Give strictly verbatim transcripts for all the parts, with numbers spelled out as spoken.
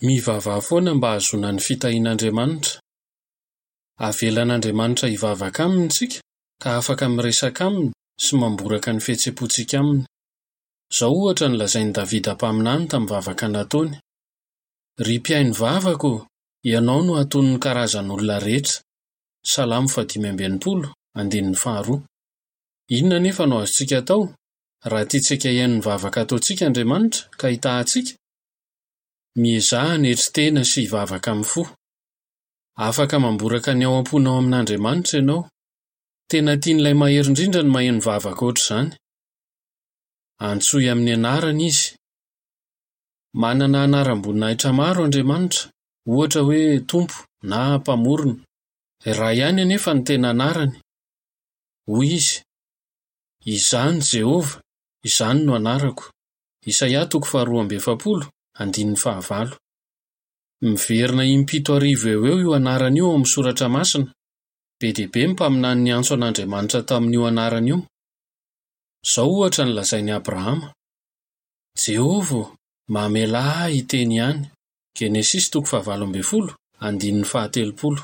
Mivavaha foana mba hahazoana ny fitahian'Andriamanitra. Avelan'Andriamanitra hivavaka aminy isika ka afaka miresaka aminy sy mamboraka ny fihetseham-pontsika aminy. Izao ohatra no lazain'i Davida mpaminany tamin'ny vavaka nataony: "Ry mpihaino vavaka ô, ianao no hatonin'ny karazan'olona rehetra." Salamo fahadimy amby enimpolo, andininy faharoa. Inona anefa no azontsika atao raha tiantsika hihaino ny vavaka ataontsika Andriamanitra ka hitaha antsika? Miezaha hanetry tena sy hivavaka amin'ny fo. Afaka mamboraka ny ao am-ponao amin'Andriamanitra ianao. Tena tian'ilay Mahery Indrindra ny maheno vavaka hoatr'izany. Antsoy amin'ny anarany izy. Manana anaram-boninahitra maro Andriamanitra, ohatra hoe Tompo na Mpamorona. Iray ihany anefa no tena anarany. Hoy izy: "Izaho no Jehovah, izany no anarako." Isaia toko faharoa amby efapolo, andininy fahavalo. Miverina impito arivo eo ho eo io anarana io ao amin'ny Soratra Masina. Be dia be ny mpaminany niantso an'Andriamanitra tamin'io anarana io. Izao ohatra no lazain'i Abrahama: "Jehovah ô, mamelà ahy hiteny ihany." Genesisy toko fahavalo ambin'ny folo, andininy fahatelopolo.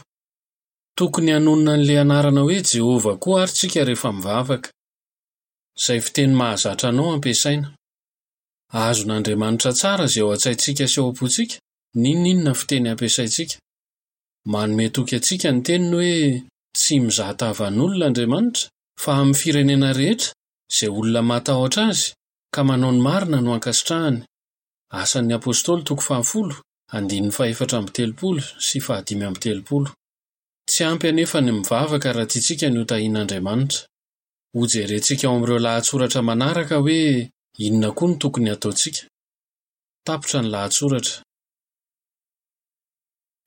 Tokony hanonona an'ilay anarana hoe Jehovah koa àry isika rehefa mivavaka. Izay fiteny mahazatra anao ampiasaina. Azon'Andriamanitra tsara izay ao an-tsaintsika sy ao am-pontsika, n'inon'inona fiteny ampiasaintsika. Manome toky antsika ny teniny hoe tsy mizaha tavan'olona Andriamanitra, fa amin'ny firenena rehetra, izay olona matahotra azy ka manao ny marina no ankasitrahany. Asan'ny Apostoly toko fahafolo, andininy fahefatra amby telopolo sy fahadimy amby telopolo. Tsy ampy anefa ny mivavaka raha tiantsika ny hotahian'Andriamanitra. Hojerentsika ao amin'ireo lahatsoratra manaraka hoe inona koa no tokony hataontsika. Tapitra ny lahatsoratra.